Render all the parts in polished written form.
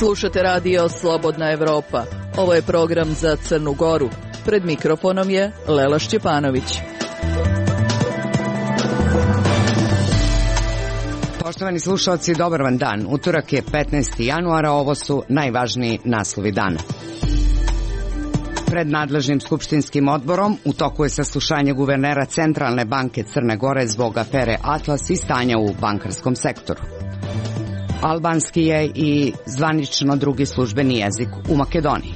Slušate radio Slobodna Evropa. Ovo je program za Crnu Goru. Pred mikrofonom je Lela Šćepanović. Poštovani slušalci, dobar vam dan. Utorak je 15. januara, ovo su najvažniji naslovi dana. Pred nadležnim skupštinskim odborom u toku je saslušanje guvernera Centralne banke Crne Gore zbog afere Atlas i stanja u bankarskom sektoru. Albanski je i zvanično drugi službeni jezik u Makedoniji.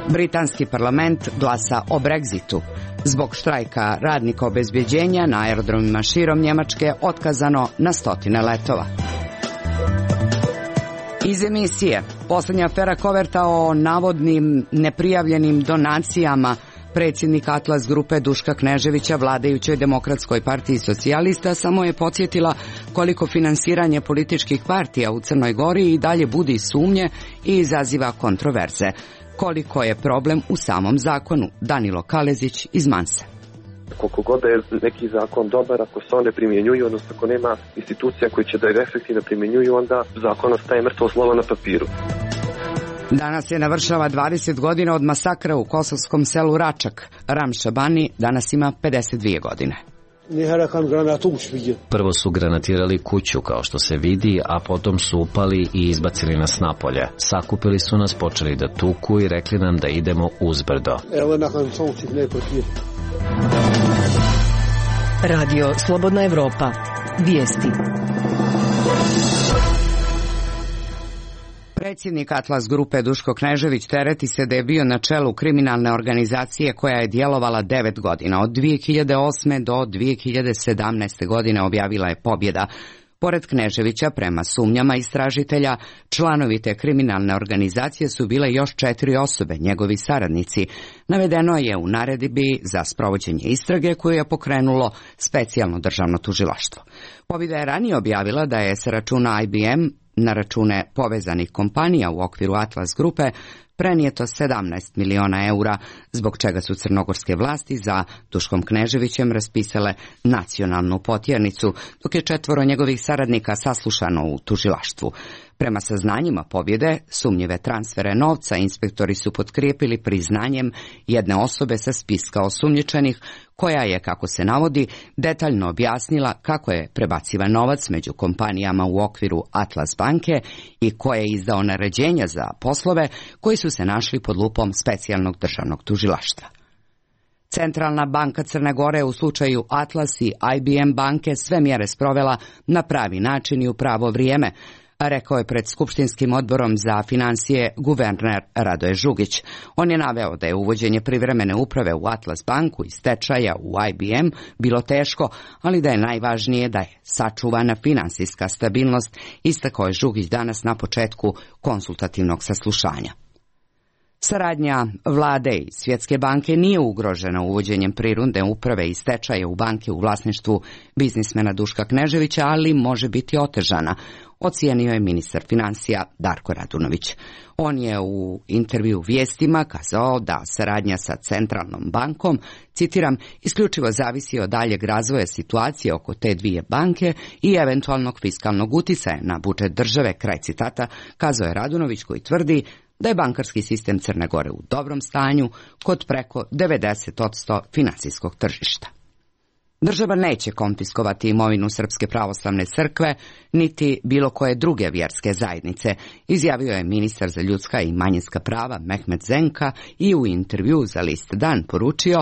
Britanski parlament glasa o Brexitu. Zbog štrajka radnika obezbeđenja na aerodromima širom Njemačke otkazano na stotine letova. Iz emisije poslednja afera koverta o navodnim neprijavljenim donacijama predsjednik Atlas grupe Duška Kneževića vladajućoj Demokratskoj partiji socijalista samo je podsjetila koliko finansiranje političkih partija u Crnoj Gori i dalje budi sumnje i izaziva kontroverze. Koliko je problem u samom zakonu? Danilo Kalezić iz Manse. Koliko god je neki zakon dobar, ako se on ne primjenjuju, odnosno ako nema institucija koji će da je efektivno primjenjuju, onda zakon ostaje mrtvo slovo na papiru. Danas se navršava 20 godina od masakra u kosovskom selu Račak. Ramša Bani danas ima 52 godine. Prvo su granatirali kuću, kao što se vidi, a potom su upali i izbacili nas napolje. Sakupili su nas, počeli da tuku i rekli nam da idemo uzbrdo. Radio Slobodna Evropa. Vijesti. Predsjednik Atlas grupe Duško Knežević tereti se da je bio na čelu kriminalne organizacije koja je djelovala 9 godina. Od 2008. do 2017. godine objavila je pobjeda. Pored Kneževića, prema sumnjama istražitelja, članovi te kriminalne organizacije su bile još 4 osobe, njegovi saradnici. Navedeno je u naredbi za sprovođenje istrage koju je pokrenulo specijalno državno tužilaštvo. Pobjeda je ranije objavila da je sa računa IBM na račune povezanih kompanija u okviru Atlas grupe prenijeto 17 miliona eura, zbog čega su crnogorske vlasti za Duškom Kneževićem raspisale nacionalnu potjernicu, dok je 4 njegovih saradnika saslušano u tužilaštvu. Prema saznanjima pobjede, sumnjive transfere novca inspektori su potkrijepili priznanjem jedne osobe sa spiska osumnjičenih, koja je, kako se navodi, detaljno objasnila kako je prebacivan novac među kompanijama u okviru Atlas banke i ko je izdao naređenja za poslove koji su se našli pod lupom specijalnog državnog tužilaštva. Centralna banka Crne Gore u slučaju Atlas i IBM banke sve mjere sprovela na pravi način i u pravo vrijeme, rekao je pred skupštinskim odborom za financije guverner Radoje Žugić. On je naveo da je uvođenje privremene uprave u Atlas banku i stečaja u IBM bilo teško, ali da je najvažnije da je sačuvana finansijska stabilnost, istakao je Žugić danas na početku konsultativnog saslušanja. Saradnja vlade i Svjetske banke nije ugrožena uvođenjem prinudne uprave i stečaja u banke u vlasništvu biznismena Duška Kneževića, ali može biti otežana, ocijenio je ministar financija Darko Radunović. On je u intervju Vijestima kazao da saradnja sa Centralnom bankom, citiram, isključivo zavisi od daljeg razvoja situacije oko te dvije banke i eventualnog fiskalnog uticaja na budžet države, kraj citata, kazao je Radunović, koji tvrdi da je bankarski sistem Crne Gore u dobrom stanju kod preko 90% financijskog tržišta. Država neće konfiskovati imovinu Srpske pravoslavne crkve niti bilo koje druge vjerske zajednice, izjavio je ministar za ljudska i manjinska prava Mehmet Zenka i u intervju za list Dan poručio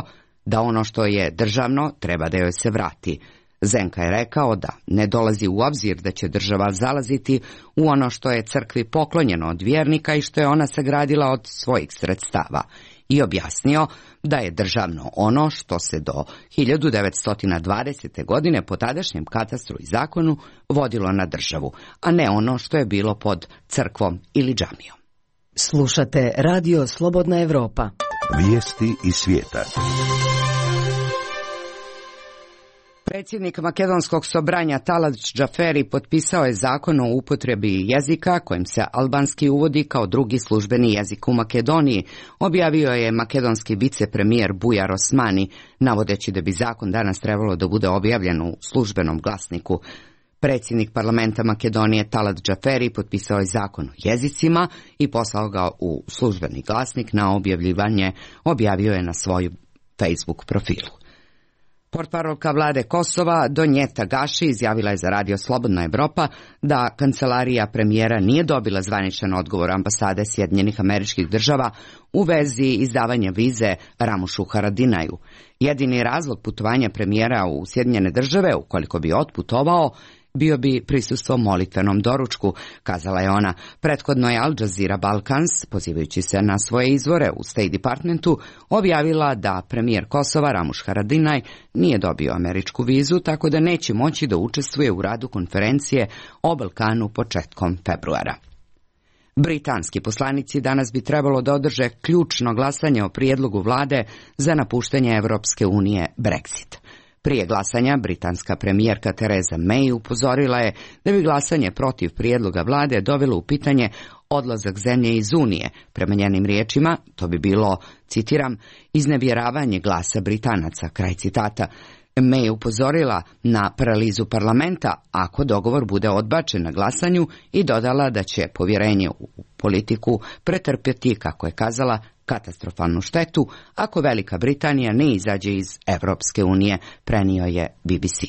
da ono što je državno treba da joj se vrati. Zenka je rekao da ne dolazi u obzir da će država zalaziti u ono što je crkvi poklonjeno od vjernika i što je ona sagradila od svojih sredstava, i objasnio da je državno ono što se do 1920. godine po tadašnjem katastru i zakonu vodilo na državu, a ne ono što je bilo pod crkvom ili džamijom. Slušate Radio Slobodna Evropa. Vijesti iz svijeta. Predsjednik makedonskog sobranja Talat Džaferi potpisao je zakon o upotrebi jezika kojim se albanski uvodi kao drugi službeni jezik u Makedoniji, objavio je makedonski vicepremijer Bujar Osmani, navodeći da bi zakon danas trebalo da bude objavljen u službenom glasniku. Predsjednik parlamenta Makedonije Talat Džaferi potpisao je zakon o jezicima i poslao ga u službeni glasnik na objavljivanje, objavio je na svoju Facebook profilu. Portparolka vlade Kosova Donjeta Gaši izjavila je za Radio Slobodna Evropa da kancelarija premijera nije dobila zvaničan odgovor ambasade Sjedinjenih Američkih Država u vezi izdavanja vize Ramušu Haradinaju. Jedini razlog putovanja premijera u Sjedinjene Države, ukoliko bi otputovao, bio bi prisustvo molitvenom doručku, kazala je ona. Prethodno je Al Jazeera Balkans, pozivajući se na svoje izvore u State Departmentu, objavila da premijer Kosova Ramuš Haradinaj nije dobio američku vizu, tako da neće moći da učestvuje u radu konferencije o Balkanu početkom februara. Britanski poslanici danas bi trebalo da održe ključno glasanje o prijedlogu vlade za napuštanje Evropske unije Brexit. Prije glasanja, britanska premijerka Theresa May upozorila je da bi glasanje protiv prijedloga vlade dovelo u pitanje odlazak zemlje iz Unije. Prema njenim riječima, to bi bilo, citiram, iznevjeravanje glasa Britanaca, kraj citata. May je upozorila na paralizu parlamenta ako dogovor bude odbačen na glasanju i dodala da će povjerenje u politiku pretrpjeti, kako je kazala, katastrofalnu štetu ako Velika Britanija ne izađe iz Evropske unije, prenio je BBC.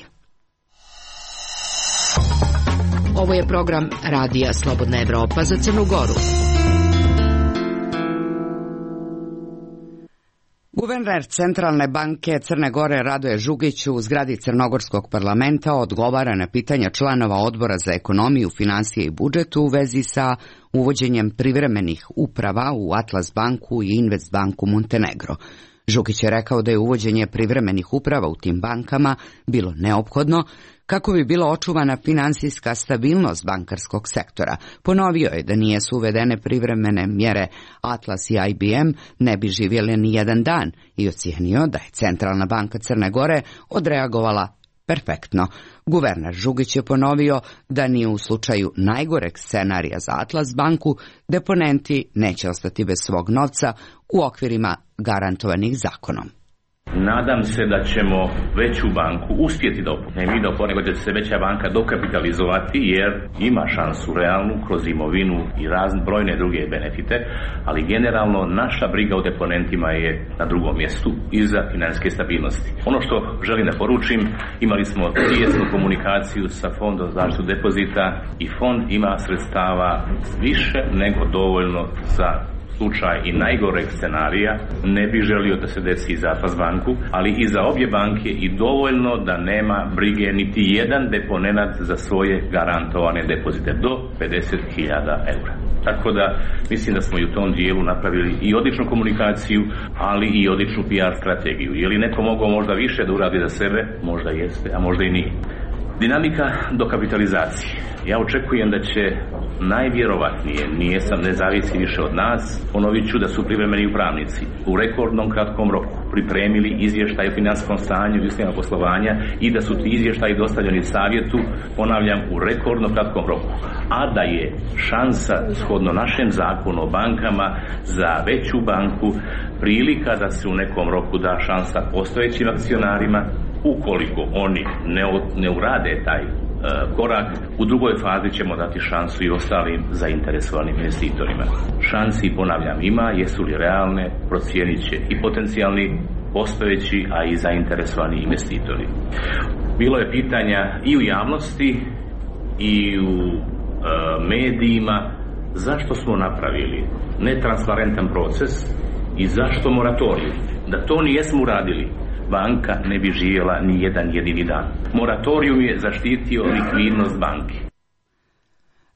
Ovo je program Radija Slobodna Evropa za Crnu Goru. Guverner Centralne banke Crne Gore Radoje Žugić u zgradi Crnogorskog parlamenta odgovara na pitanja članova Odbora za ekonomiju, financije i budžetu u vezi sa uvođenjem privremenih uprava u Atlas banku i Invest banku Montenegro. Žugić je rekao da je uvođenje privremenih uprava u tim bankama bilo neophodno kako bi bila očuvana finansijska stabilnost bankarskog sektora. Ponovio je da nije su uvedene privremene mjere Atlas i IBM ne bi živjeli ni jedan dan i ocijenio da je Centralna banka Crne Gore odreagovala perfektno. Guverner Žugić je ponovio da ni u slučaju najgoreg scenarija za Atlas banku deponenti neće ostati bez svog novca u okvirima garantovanih zakonom. Nadam se da ćemo veću banku uspjeti da nego da će se veća banka dokapitalizovati, jer ima šansu realnu kroz imovinu i brojne druge benefite, ali generalno naša briga o deponentima je na drugom mjestu iza financijske stabilnosti. Ono što želim da poručim, imali smo tijesnu komunikaciju sa Fondom za zaštitu depozita i fond ima sredstava više nego dovoljno za slučaj i najgoreg scenarija. Ne bih želio da se desi za Atlas banku, ali i za obje banke i dovoljno da nema brige niti jedan deponenat za svoje garantovane depozite do 50.000 eura. Tako da mislim da smo i u tom dijelu napravili i odličnu komunikaciju, ali i odličnu PR strategiju. Je li neko mogao možda više da uradi za sebe? Možda jeste, a možda i nije. Dinamika dokapitalizacije. Ja očekujem da će najvjerovatnije, ne zavisi više od nas, ponovit ću da su privremeni upravnici u rekordnom kratkom roku pripremili izvještaj o financijskom stanju i uslovima poslovanja i da su ti izvještaji dostavljeni savjetu, ponavljam, u rekordno kratkom roku. A da je šansa, shodno našem zakonu o bankama, za veću banku prilika da se u nekom roku da šansa postojećim akcionarima, ukoliko oni ne urade taj korak, u drugoj fazi ćemo dati šansu i ostalim zainteresovanim investitorima. Šansi, ponavljam, ima, jesu li realne, procijenit će i potencijalni postojeći, a i zainteresovani investitori. Bilo je pitanja i u javnosti i u medijima zašto smo napravili netransparentan proces i zašto moratorij. Da to nijesmo uradili, banka ne bi živjela ni jedan jedini dan. Moratorijum je zaštitio likvidnost banke.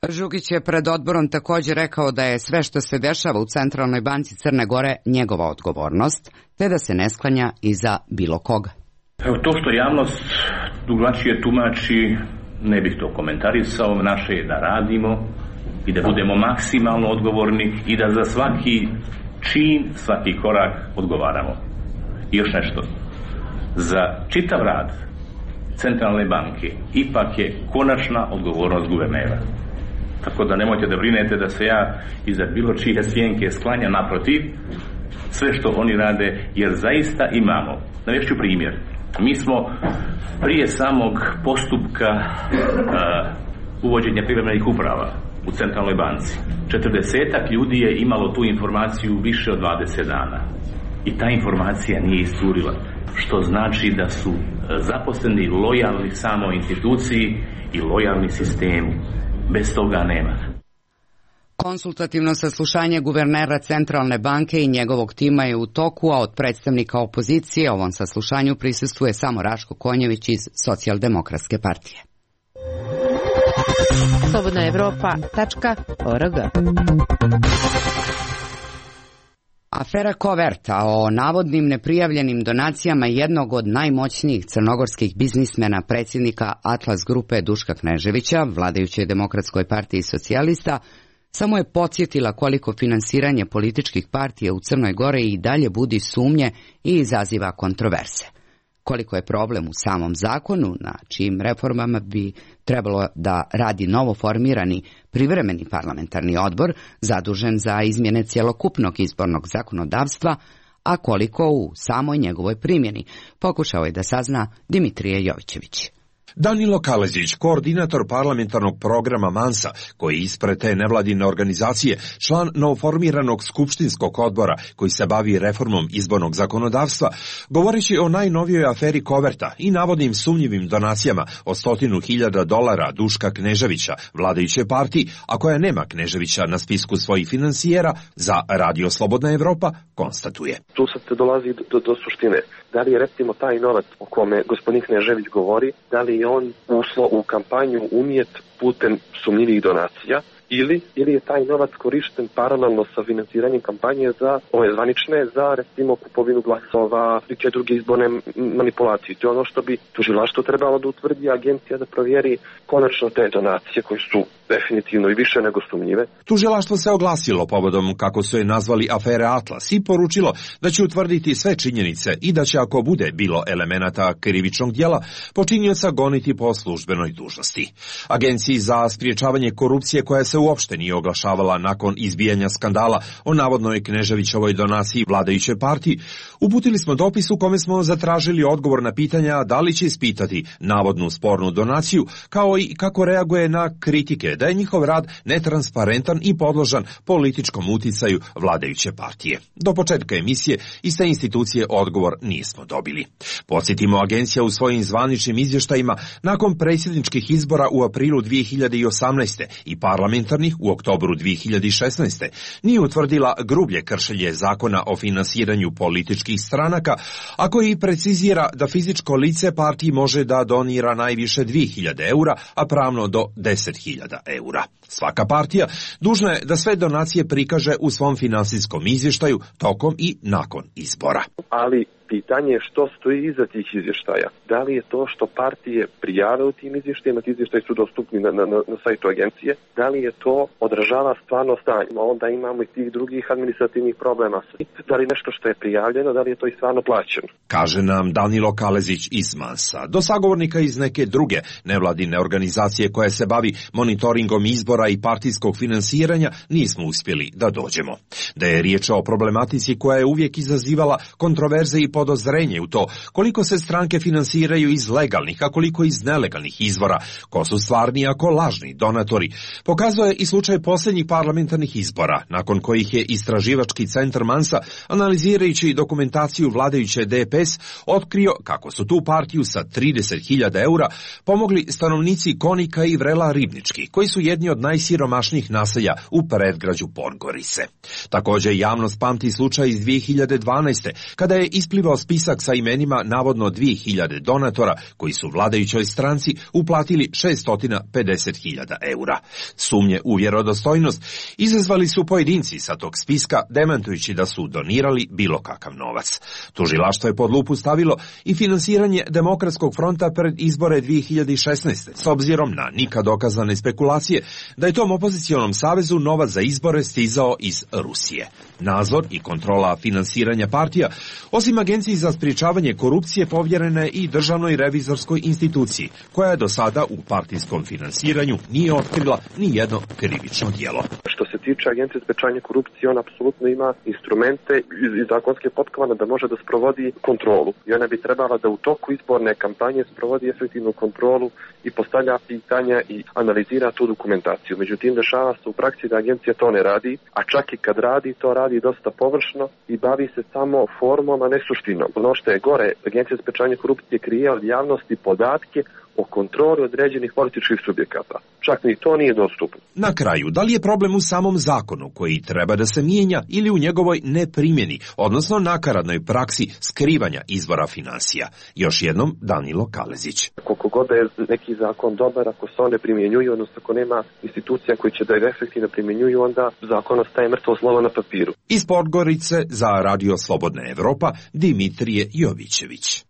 Žugić je pred odborom također rekao da je sve što se dešava u Centralnoj banci Crne Gore njegova odgovornost, te da se ne sklanja iza bilo koga. Evo, to što javnost drugačije tumači, ne bih to komentarisao. Naše je da radimo i da budemo maksimalno odgovorni i da za svaki čin, svaki korak odgovaramo. I još nešto. Za čitav rad Centralne banke ipak je konačna odgovornost guvernera. Tako da nemojte da brinete da se ja iza bilo čije sjenke sklanja, naprotiv, sve što oni rade, jer zaista imamo. Navest ću primjer. Mi smo prije samog postupka uvođenja privremenih uprava u centralnoj banci 40-ak ljudi je imalo tu informaciju više od 20 dana i ta informacija nije iscurila, što znači da su zaposleni lojalni samo instituciji i lojalni sistemu. Bez toga nema. Konsultativno saslušanje guvernera Centralne banke i njegovog tima je u toku, a od predstavnika opozicije ovom saslušanju prisustvuje samo Raško Konjević iz Socijaldemokratske partije. slobodnaevropa.org. Afera Koverta o navodnim neprijavljenim donacijama jednog od najmoćnijih crnogorskih biznismena, predsjednika Atlas grupe Duška Kneževića, vladajućoj Demokratskoj partiji socijalista, samo je podsjetila koliko finansiranje političkih partija u Crnoj Gori i dalje budi sumnje i izaziva kontroverse. Koliko je problem u samom zakonu, na čijim reformama bi trebalo da radi novoformirani privremeni parlamentarni odbor, zadužen za izmjene cjelokupnog izbornog zakonodavstva, a koliko u samoj njegovoj primjeni, pokušao je da sazna Dimitrije Jovićević. Danilo Kalezić, koordinator parlamentarnog programa Mansa, koji ispred te nevladine organizacije, član novoformiranog skupštinskog odbora koji se bavi reformom izbornog zakonodavstva, govoreći o najnovijoj aferi Koverta i navodnim sumnjivim donacijama od $100.000 Duška Kneževića, vladajuće partiji, a koja nema Kneževića na spisku svojih finansijera, za Radio Slobodna Evropa konstatuje. Tu sad se dolazi do suštine. Da li je recimo taj novac o kome gospodin Knežević govori, da li je on ušlo u kampanju unijet putem sumnjivih donacija, ili je taj novac korišten paralelno sa financiranjem kampanje za ove zvanične, za recimo kupovinu glasova, neke druge izborne manipulacije. To je ono što bi tužilaštvo trebalo da utvrdi, agencija da provjeri konačno te donacije koje su definitivno i više nego sumnjive. Tužilaštvo se oglasilo povodom, kako su je nazvali, afere Atlas i poručilo da će utvrditi sve činjenice i da će, ako bude bilo elemenata krivičnog djela, počinioca goniti po službenoj dužnosti. Agenciji za sprječavanje korupcije, koja se uopšte nije oglašavala nakon izbijanja skandala o navodnoj Kneževićovoj donaciji vladajuće partiji, uputili smo dopis u kome smo zatražili odgovor na pitanja da li će ispitati navodnu spornu donaciju, kao i kako reaguje na kritike da je njihov rad netransparentan i podložan političkom uticaju vladajuće partije. Do početka emisije iz te institucije odgovor nismo dobili. Podsjetimo, agencija u svojim zvaničnim izvještajima nakon predsjedničkih izbora u aprilu 2018. i parlamentarnih u oktobru 2016. nije utvrdila grublje kršenje zakona o finansiranju političkih stranaka, a koji precizira da fizičko lice partiji može da donira najviše 2.000 eura, a pravno do 10.000 eura. Svaka partija dužna je da sve donacije prikaže u svom finansijskom izvještaju tokom i nakon izbora. Ali pitanje je što stoji iza tih izvještaja. Da li je to što partije prijave u tim izvještajima, ti izvještaji su dostupni na sajtu agencije, da li je to odražava stvarno stanje. Onda imamo i tih drugih administrativnih problema. Da li nešto što je prijavljeno, da li je to i stvarno plaćeno? Kaže nam Danilo Kalezić iz Mansa. Do sagovornika iz neke druge nevladine organizacije koja se bavi monitoringom izbora i partijskog finansiranja nismo uspjeli da dođemo. Da je riječ o problematici koja je uvijek izazivala kontroverze i podozrenje u to koliko se stranke finansiraju iz legalnih, a koliko iz nelegalnih izvora, ko su stvarni, a ko lažni donatori, pokazuje i slučaj posljednjih parlamentarnih izbora, nakon kojih je istraživački centar Mansa, analizirajući dokumentaciju vladajuće DPS, otkrio kako su tu partiju sa 30.000 eura pomogli stanovnici Konika i Vrela Ribnički, koji su jedni od najsiromašnijih naselja u predgrađu Podgorice. Također javnost pamti slučaj iz 2012. kada je isplivao spisak sa imenima navodno 2.000 donatora koji su vladajućoj stranci uplatili 650.000 eura. Sumnje u vjerodostojnost izazvali su pojedinci sa tog spiska, demantujući da su donirali bilo kakav novac. Tužilaštvo je pod lupu stavilo i finansiranje Demokratskog fronta pred izbore 2016. s obzirom na nikad dokazane spekulacije da je tom opozicionom savezu novac za izbore stizao iz Rusije. Nadzor i kontrola finansiranja partija, osim agencije Agenciji za sprječavanje korupcije povjerena je i državnoj revizorskoj instituciji, koja je do sada u partijskom finansiranju nije otkrila ni jedno krivično djelo. Što se tiče Agencije za sprječavanje korupcije, on apsolutno ima instrumente i zakonske potkovane da može da sprovodi kontrolu. I ona bi trebala da u toku izborne kampanje sprovodi efektivnu kontrolu i postavlja pitanja i analizira tu dokumentaciju. Međutim, dešava se u praksi da agencija to ne radi, a čak i kad radi, to radi dosta površno i bavi se samo formom, a ne suštinom. Ono što je gore, Agencija za sprječavanje korupcije krije od javnosti podatke o kontroli određenih političkih subjekata. Čak ni to nije dostupno. Na kraju, da li je problem u samom zakonu koji treba da se mijenja ili u njegovoj neprimjeni, odnosno nakaradnoj praksi skrivanja izvora finansija? Još jednom Danilo Kalezić. Koliko god je neki zakon dobar, ako se on ne primjenjuje, odnosno ako nema institucija koji će da ga efektivno primjenjuju, onda zakon ostaje mrtvo slovo na papiru. Iz Podgorice za Radio Slobodna Evropa, Dimitrije Jovićević.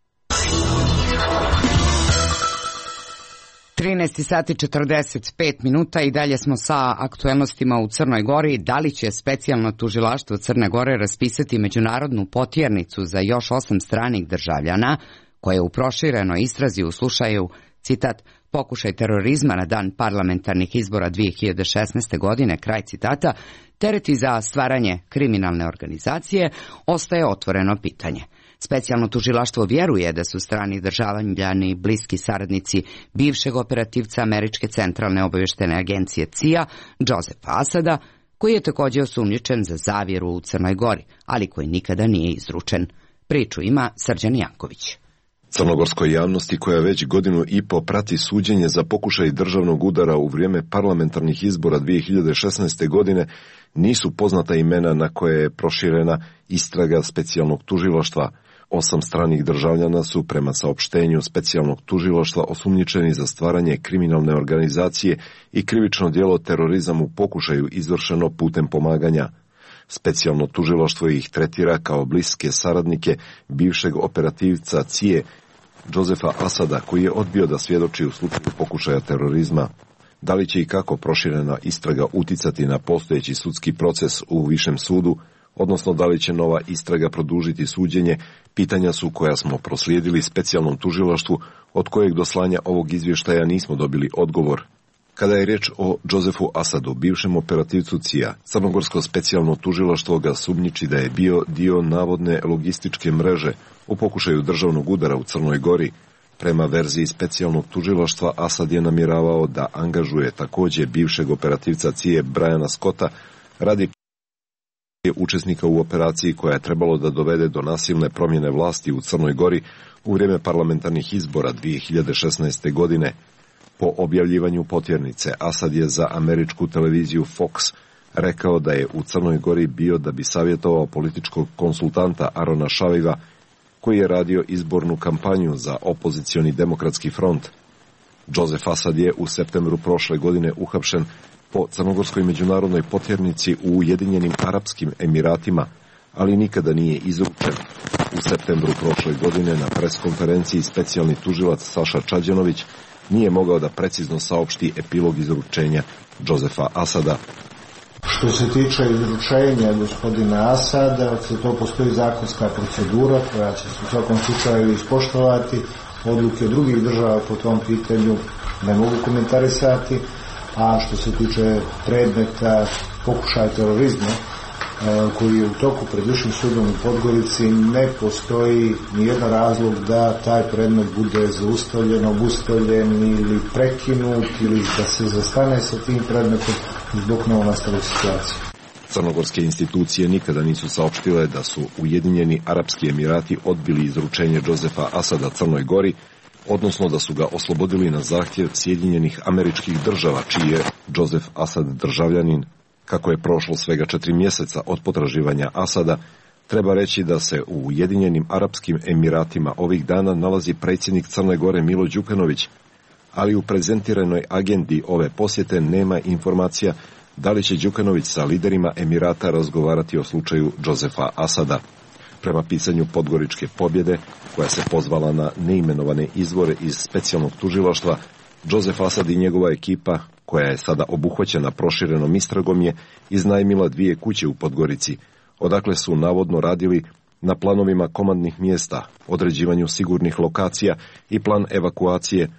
13 sati 45 minuta i dalje smo sa aktuelnostima u Crnoj Gori. Da li će specijalno tužilaštvo Crne Gore raspisati međunarodnu potjernicu za još 8 stranih državljana koje u proširenoj istrazi u slučaju, citat, pokušaj terorizma na dan parlamentarnih izbora 2016. godine, kraj citata, tereti za stvaranje kriminalne organizacije, ostaje otvoreno pitanje. Specijalno tužilaštvo vjeruje da su strani državljani bliski saradnici bivšeg operativca Američke centralne obavještajne agencije CIA, Josefa Asada, koji je također osumnjičen za zavjeru u Crnoj Gori, ali koji nikada nije izručen. Priču ima Srđan Janković. Crnogorskoj javnosti, koja već godinu i po prati suđenje za pokušaj državnog udara u vrijeme parlamentarnih izbora 2016. godine, nisu poznata imena na koje je proširena istraga specijalnog tužilaštva. 8 stranih državljana su, prema saopštenju specijalnog tužilaštva, osumnjičeni za stvaranje kriminalne organizacije i krivično djelo terorizam u pokušaju izvršeno putem pomaganja. Specijalno tužilaštvo ih tretira kao bliske saradnike bivšeg operativca CIA Josefa Asada, koji je odbio da svjedoči u slučaju pokušaja terorizma. Da li će i kako proširena istraga uticati na postojeći sudski proces u višem sudu, odnosno da li će nova istraga produžiti suđenje, pitanja su koja smo proslijedili specijalnom tužilaštvu, od kojeg do slanja ovog izvještaja nismo dobili odgovor. Kada je riječ o Josefu Asadu, bivšem operativcu CIA, crnogorsko specijalno tužilaštvo ga sumnjiči da je bio dio navodne logističke mreže u pokušaju državnog udara u Crnoj Gori. Prema verziji specijalnog tužilaštva, Asad je namjeravao da angažuje također bivšeg operativca CIA Briana Scotta radi učesnika u operaciji koja je trebalo da dovede do nasilne promjene vlasti u Crnoj Gori u vrijeme parlamentarnih izbora 2016. godine. Po objavljivanju potjernice, Asad je za američku televiziju Fox rekao da je u Crnoj Gori bio da bi savjetovao političkog konsultanta Arona Šaviva, koji je radio izbornu kampanju za opozicioni demokratski front. Josef Asad je u septembru prošle godine uhapšen po crnogorskoj međunarodnoj potjernici u Ujedinjenim Arapskim Emiratima, ali nikada nije izručen. U septembru prošle godine na preskonferenciji specijalni tužilac Saša Čađanović nije mogao da precizno saopšti epilog izručenja Josefa Asada. Što se tiče izručenja gospodina Asada, to postoji zakonska procedura koja će se u svakom slučaju ispoštovati. Odluke drugih država po tom pitanju ne mogu komentarisati, a što se tiče predmeta pokušaja terorizma koji je u toku pred Višim sudom u Podgorici, ne postoji nijedan razlog da taj predmet bude zaustavljen, obustavljen ili prekinut ili da se zastane sa tim predmetom zbog novonastale situacije. Crnogorske institucije nikada nisu saopštile da su Ujedinjeni Arapski Emirati odbili izručenje Josefa Asada Crnoj Gori, odnosno da su ga oslobodili na zahtjev Sjedinjenih Američkih Država, čiji je Josef Asad državljanin. Kako je prošlo svega 4 mjeseca od potraživanja Asada, treba reći da se u Ujedinjenim Arapskim Emiratima ovih dana nalazi predsjednik Crne Gore Milo Đukanović, ali u prezentiranoj agendi ove posjete nema informacija da li će Đukanović sa liderima Emirata razgovarati o slučaju Josefa Asada. Prema pisanju Podgoričke pobjede, koja se pozvala na neimenovane izvore iz specijalnog tužilaštva, Josef Asad i njegova ekipa, koja je sada obuhvaćena proširenom istragom, je iznajmila 2 kuće u Podgorici, odakle su navodno radili na planovima komandnih mjesta, određivanju sigurnih lokacija i plan evakuacije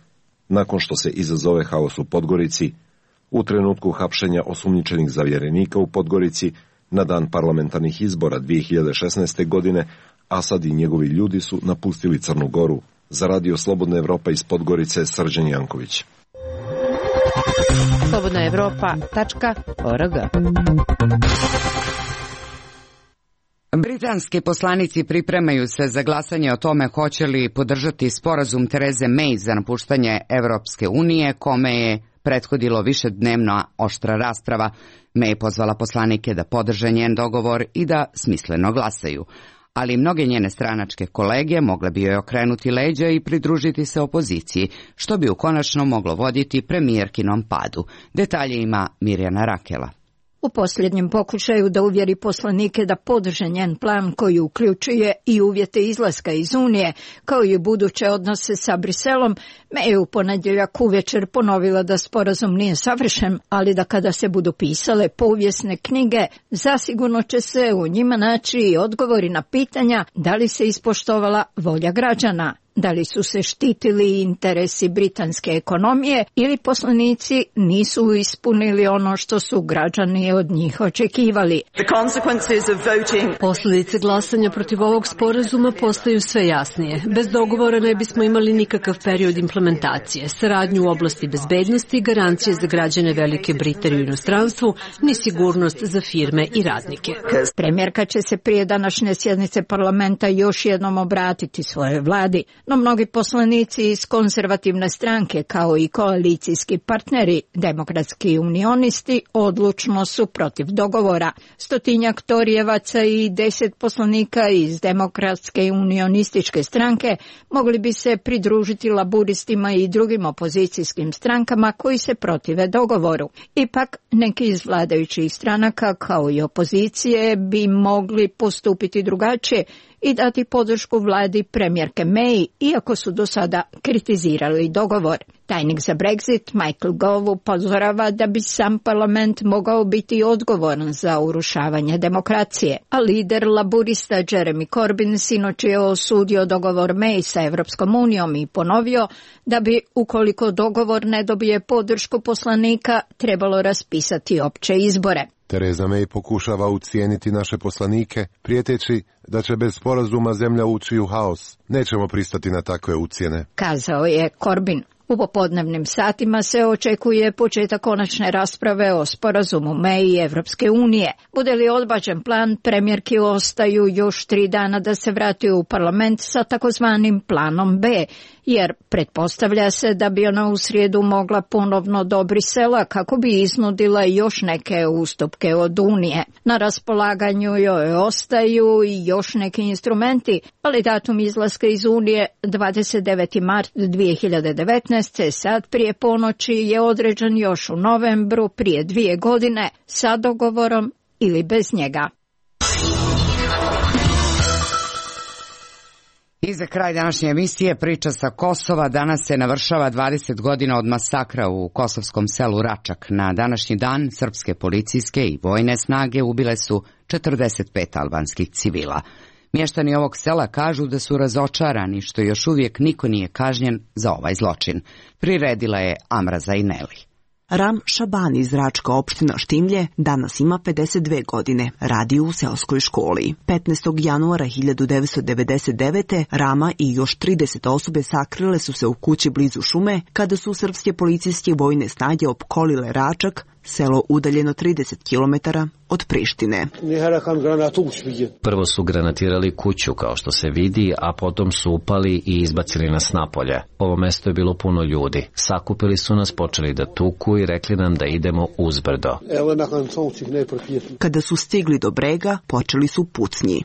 nakon što se izazove haos u Podgorici, u trenutku hapšenja osumnjičenih zavjerenika u Podgorici, na dan parlamentarnih izbora 2016. godine, Asad i njegovi ljudi su napustili Crnu Goru. Za Radio Slobodna Evropa iz Podgorice, Srđan Janković. slobodnaevropa.org. Britanski poslanici pripremaju se za glasanje o tome hoće li podržati sporazum Tereze May za napuštanje Evropske unije, kome je prethodilo višednevna oštra rasprava. May je pozvala poslanike da podrže njen dogovor i da smisleno glasaju. Ali mnoge njene stranačke kolege mogle bi joj okrenuti leđa i pridružiti se opoziciji, što bi konačno moglo voditi premijerkinom padu. Detalje ima Mirjana Rakela. U posljednjem pokušaju da uvjeri poslanike da podrže njen plan koji uključuje i uvjete izlaska iz Unije, kao i buduće odnose sa Briselom, May je u ponedjeljak uvečer ponovila da sporazum nije savršen, ali da kada se budu pisale povijesne knjige, zasigurno će se u njima naći i odgovori na pitanja da li se ispoštovala volja građana. Da li su se štitili interesi britanske ekonomije ili poslanici nisu ispunili ono što su građani od njih očekivali. Posljedice glasanja protiv ovog sporazuma postaju sve jasnije. Bez dogovora ne bismo imali nikakav period implementacije, saradnju u oblasti bezbednosti, garancije za građane Velike Britanije u inostranstvu, ni sigurnost za firme i radnike. Premijerka će se prije današnje sjednice parlamenta još jednom obratiti svojoj vladi. No mnogi poslanici iz konzervativne stranke kao i koalicijski partneri, demokratski unionisti, odlučno su protiv dogovora. 100 Torijevaca i 10 poslanika iz demokratske unionističke stranke mogli bi se pridružiti laburistima i drugim opozicijskim strankama koji se protive dogovoru. Ipak neki iz vladajućih stranaka kao i opozicije bi mogli postupiti drugačije i dati podršku vladi premijerke May, iako su do sada kritizirali dogovor. Tajnik za Brexit Michael Gove upozorava da bi sam parlament mogao biti odgovoran za urušavanje demokracije, a lider laburista Jeremy Corbyn sinoć je osudio dogovor May sa Evropskom unijom i ponovio da bi, ukoliko dogovor ne dobije podršku poslanika, trebalo raspisati opće izbore. Tereza May pokušava ucijeniti naše poslanike, prijeteći da će bez sporazuma zemlja ući u haos. Nećemo pristati na takve ucjene, kazao je Corbyn. U popodnevnim satima se očekuje početak konačne rasprave o sporazumu May i Evropske unije. Bude li odbačen plan, premijerki ostaju još 3 dana da se vrati u parlament sa takozvanim planom B, jer pretpostavlja se da bi ona u srijedu mogla ponovno do Brisela kako bi iznudila još neke ustupke od Unije. Na raspolaganju joj ostaju i još neki instrumenti, ali datum izlaska iz Unije 29. mart 2019. sad prije ponoći je određen još u novembru prije 2 godine sa dogovorom ili bez njega. I za kraj današnje emisije priča sa Kosova. Danas se navršava 20 godina od masakra u kosovskom selu Račak. Na današnji dan srpske policijske i vojne snage ubile su 45 albanskih civila. Mještani ovog sela kažu da su razočarani što još uvijek niko nije kažnjen za ovaj zločin. Priredila je Amra Zajneli. Ram Šabani iz Račka, opština Štimlje, danas ima 52 godine, radi u seoskoj školi. 15. januara 1999. Rama i još 30 osobe sakrile su se u kući blizu šume kada su srpske policijske vojne snage opkolile Račak, selo udaljeno 30 km od Prištine. Prvo su granatirali kuću, kao što se vidi, a potom su upali i izbacili nas napolje. Ovo mesto je bilo puno ljudi. Sakupili su nas, počeli da tuku i rekli nam da idemo uzbrdo. Kada su stigli do brega, počeli su pucnji.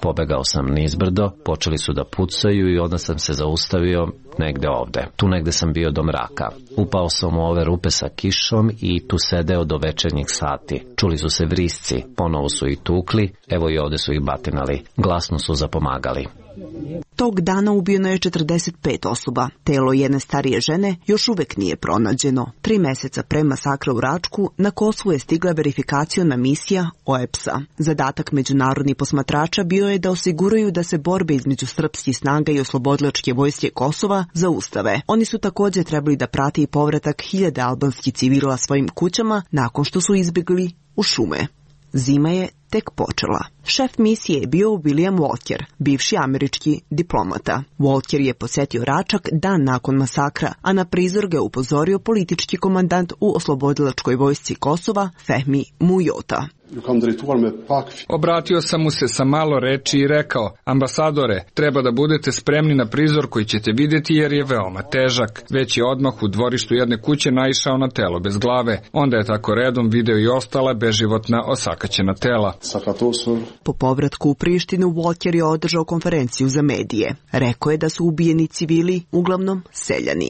Pobegao sam nizbrdo, počeli su da pucaju i onda sam se zaustavio negde ovde. Tu negde sam bio do mraka. Upao sam u ove rupe sa kišom i tu sedeo do večernjih sati. Čuli su se vrisci, ponovo su ih tukli, evo i ovde su ih batinali. Glasno su zapomagali. Tog dana ubijeno je 45 osoba. Telo jedne starije žene još uvek nije pronađeno. 3 meseca pre masakra u Račku na Kosovu je stigla verifikaciona misija OEBS-a. Zadatak međunarodnih posmatrača bio je da osiguraju da se borbe između srpskih snaga i oslobodilačke vojske Kosova zaustave. Oni su također trebali da prate i povratak hiljade albanskih civila svojim kućama nakon što su izbjegli u šume. Zima je tek počela. Šef misije je bio William Walker, bivši američki diplomata. Walker je posjetio Račak dan nakon masakra, a na prizor ga je upozorio politički komandant u oslobodilačkoj vojsci Kosova, Fehmi Mujota. Obratio sam mu se sa malo reči i rekao: ambasadore, treba da budete spremni na prizor koji ćete vidjeti jer je veoma težak. Već je odmah u dvorištu jedne kuće naišao na telo bez glave. Onda je tako redom video i ostala beživotna osakaćena tela. Po povratku u Prištinu, Walker je održao konferenciju za medije. Rekao je da su ubijeni civili uglavnom seljani.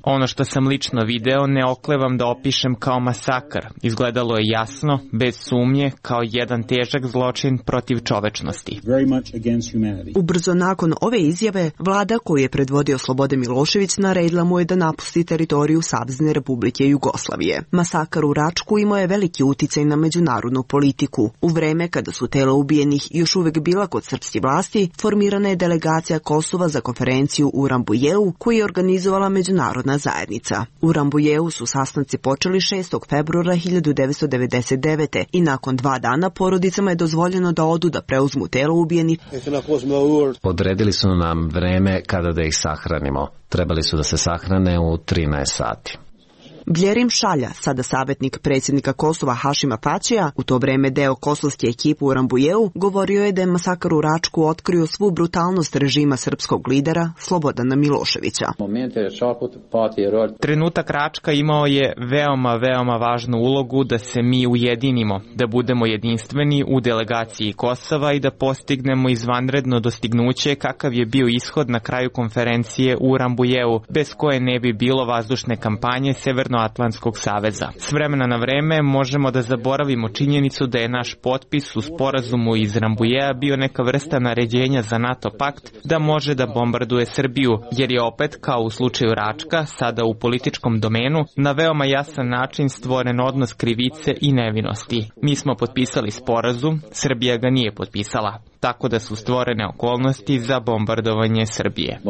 Ono što sam lično video ne oklevam da opišem kao masakar. Izgledalo je jasno, bez sumnje, kao jedan težak zločin protiv čovečnosti. Ubrzo nakon ove izjave, vlada koju je predvodio Slobodan Milošević naredila mu je da napusti teritoriju Savezne Republike Jugoslavije. Masakar u Račku imao je veliki uticaj na međunarodnu politiku. U vreme kada su tela ubijenih još uvek bila kod srpske vlasti, formirana je delegacija Kosova za konferenciju u Rambujeu, koju je organizovala međunarodna zajednica. U Rambujeu su sastanci počeli 6. februara 1999. i nakon 2 dana porodicama je dozvoljeno da odu da preuzmu telo ubijenih. Odredili su nam vreme kada da ih sahranimo. Trebali su da se sahrane u 13 sati. Bljerim Šalja, sada savjetnik predsjednika Kosova Hašima Tačija, u to vreme deo kosovske ekipe u Rambujeu, govorio je da je masakar u Račku otkrio svu brutalnost režima srpskog lidera Slobodana Miloševića. Trenutak Račka imao je veoma važnu ulogu da se mi ujedinimo, da budemo jedinstveni u delegaciji Kosova i da postignemo izvanredno dostignuće kakav je bio ishod na kraju konferencije u Rambujeu, bez koje ne bi bilo vazdušne kampanje Severnoatlantskog saveza. S vremena na vreme možemo da zaboravimo činjenicu da je naš potpis u sporazumu iz Rambujea bio neka vrsta naređenja za NATO pakt da može da bombarduje Srbiju, jer je opet, kao u slučaju Račka, sada u političkom domenu, na veoma jasan način stvoren odnos krivice i nevinosti. Mi smo potpisali sporazum, Srbija ga nije potpisala, tako da su stvorene okolnosti za bombardovanje Srbije.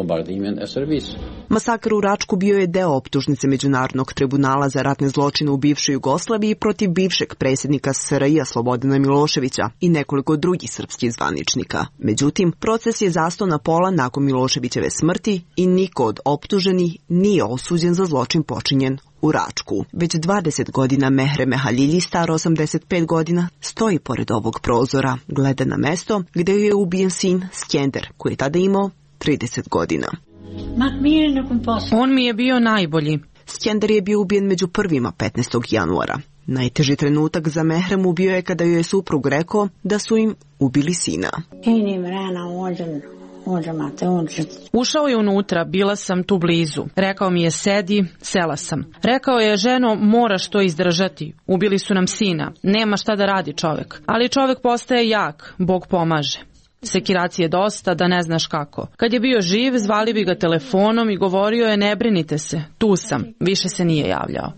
Masakr u Račku bio je deo optužnice Međunarodnog tribunala za ratne zločine u bivšoj Jugoslaviji protiv bivšeg predsjednika SRJ Slobodana Miloševića i nekoliko drugih srpskih zvaničnika. Međutim, proces je zastao na pola nakon Miloševićeve smrti i niko od optuženih nije osuđen za zločin počinjen u Račku. Već 20 godina Mehre Mehalilji, star 85 godina, stoji pored ovog prozora, gleda na mesto gdje je ubijen sin Skender, koji je tada imao 30 godina. On mi je bio najbolji. Skender je bio ubijen među prvima 15. januara. Najteži trenutak za Mehremu bio je kada joj je suprug rekao da su im ubili sina. Ušao je unutra, bila sam tu blizu. Rekao mi je sedi, sela sam. Rekao je, ženo, moraš to izdržati. Ubili su nam sina. Nema šta da radi čovek. Ali čovek postaje jak, Bog pomaže. Sekiracije dosta, da ne znaš kako. Kad je bio živ, zvali bi ga telefonom i govorio je, ne brinite se, tu sam. Više se nije javljao.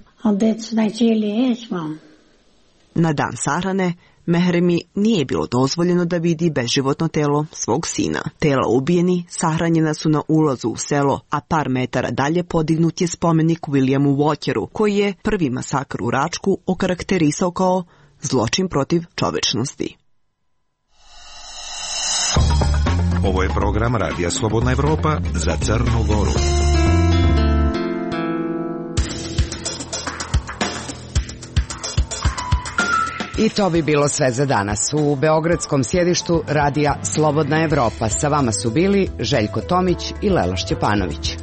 Na dan sahrane Mehremi nije bilo dozvoljeno da vidi beživotno telo svog sina. Tela ubijeni sahranjena su na ulazu u selo, a par metara dalje podignut je spomenik Williamu Walkeru, koji je prvi masakr u Račku okarakterisao kao zločin protiv čovečnosti. Ovo je program Radija Slobodna Evropa za Crnu Goru. I to bi bilo sve za danas. U beogradskom sjedištu Radija Slobodna Evropa sa vama su bili Željko Tomić i Lela Šćepanović.